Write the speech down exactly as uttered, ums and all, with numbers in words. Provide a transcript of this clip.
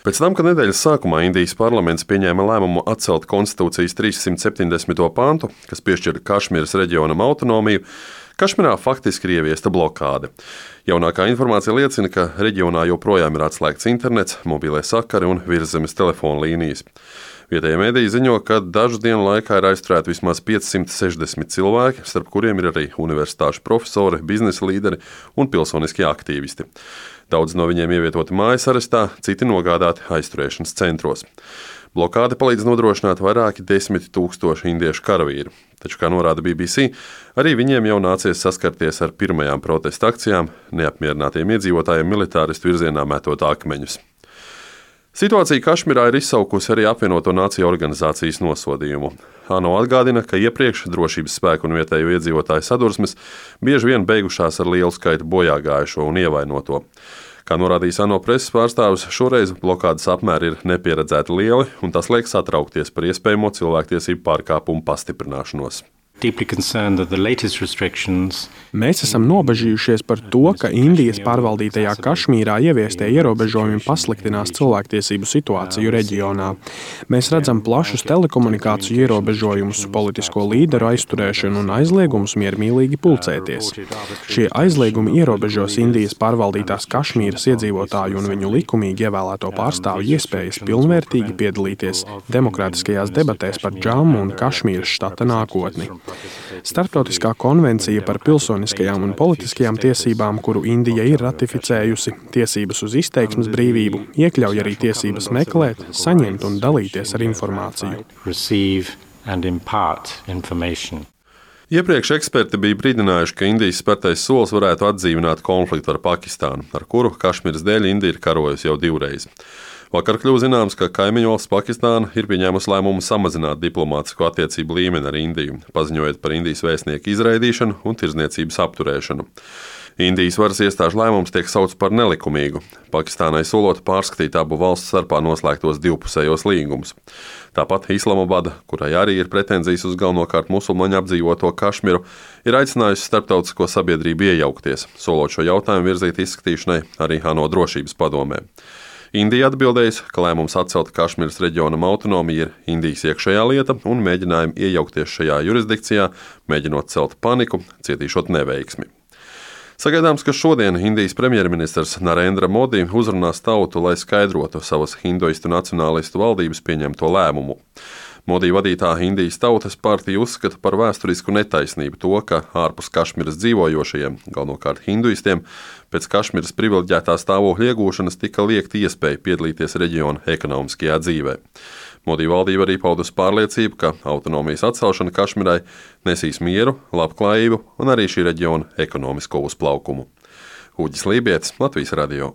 Pēc tam, kad nedēļas sākumā Indijas parlaments pieņēma lēmumu atcelt konstitūcijas trīssimt septiņdesmito pantu, kas piešķir Kašmīras reģionam autonomiju, Kašmirā faktiski ir ieviesta blokāde. Jaunākā informācija liecina, ka reģionā joprojām ir atslēgts internets, mobilie sakari un virszemes telefona līnijas. Vietējie mediji ziņo, ka dažu dienu laikā ir aizturēti vismaz piecsimt sešdesmit cilvēki, starp kuriem ir arī universitāšu profesori, biznesa līderi un pilsoniskie aktīvisti. Daudz no viņiem ievietoti mājas arestā, citi nogādāti aizturēšanas centros. Blokāde palīdz nodrošināt vairāki desmit tūkstoši indiešu karavīru. Taču, kā norāda B B C, arī viņiem jau nācies saskarties ar pirmajām protesta akcijām, neapmierinātiem iedzīvotājiem militāristu virzienā metot akmeņus. Situācija Kašmirā ir izsaukusi arī apvienoto nāciju organizācijas nosodījumu. ANO atgādina, ka iepriekš drošības spēku un vietējo iedzīvotāju sadursmes bieži vien beigušās ar lielu skaitu bojāgājušo un ievainoto. Kā norādījis ANO preses pārstāvis, šoreiz blokādes apmēri ir nepieredzēti lieli, un tas liek satraukties par iespējamo cilvēktiesību pārkāpumu pastiprināšanos. Mēs esam nobažījušies par to, ka Indijas pārvaldītajā Kašmīrā ieviestie ierobežojumi pasliktinās cilvēktiesību situāciju reģionā. Mēs redzam plašus telekomunikāciju ierobežojumus, politisko līderu aizturēšanu un aizliegumus miermīlīgi pulcēties. Šie aizliegumi ierobežos Indijas pārvaldītās Kašmīras iedzīvotāju un viņu likumīgi ievēlēto pārstāvju iespējas pilnvērtīgi piedalīties demokrātiskajās debatēs par Džammu un Kašmīras štata nākotni. Starptautiskā konvencija par pilsoniskajām un politiskajām tiesībām, kuru Indija ir ratificējusi, tiesības uz izteiksmes brīvību, iekļauj arī tiesības meklēt, saņemt un dalīties ar informāciju. Iepriekš eksperti bija brīdinājuši, ka Indijas spērtais solis varētu atdzīvināt konfliktu ar Pakistānu, ar kuru Kašmīras dēļ Indija ir karojusi jau divreiz. Vakar kļuva zināms, ka kaimiņu valsts Pakistāna ir pieņēmusi lēmumu samazināt diplomātisko attiecību līmeni ar Indiju, paziņojot par Indijas vēstnieku izraidīšanu un tirdzniecības apturēšanu. Indijas varas iestāžu lēmums tiek saukts par nelikumīgu, Pakistānai solot pārskatīt abu valstu starpā noslēgtos divpusējos līgumus. Tāpat Islamabada, kurai arī ir pretenzijas uz galvenokārt musulmaņu apdzīvoto Kašmiru, ir aicinājusi starptautisko sabiedrību iejaukties, solot šo jautājumu virzīt izskatīšanai arī ANO drošības padomē. Indija atbildējusi, ka lēmums atcelt Kašmīras reģionam autonomiju ir Indijas iekšējā lieta un mēģinājumi iejaukties šajā jurisdikcijā, mēģinot celt paniku, cietīšot neveiksmi. Sagaidāms, ka šodien Indijas premjerministrs Narendra Modi uzrunās tautu, lai skaidrotu savas hinduistu nacionālistu valdības pieņemto lēmumu. Modi vadītā Indijas Tautas partija uzskata par vēsturisku netaisnību to, ka ārpus Kašmīras dzīvojošajiem, galvenokārt hinduistiem, pēc Kašmīras privileģētā stāvokļa iegūšanas tika liekta iespēja piedalīties reģiona ekonomiskajā dzīvē. Modi valdība arī paudusi pārliecību, ka autonomijas atcelšana Kašmīrai nesīs mieru, labklājību un arī šī reģiona ekonomisko uzplaukumu. Uģis Lībietis, Latvijas radio.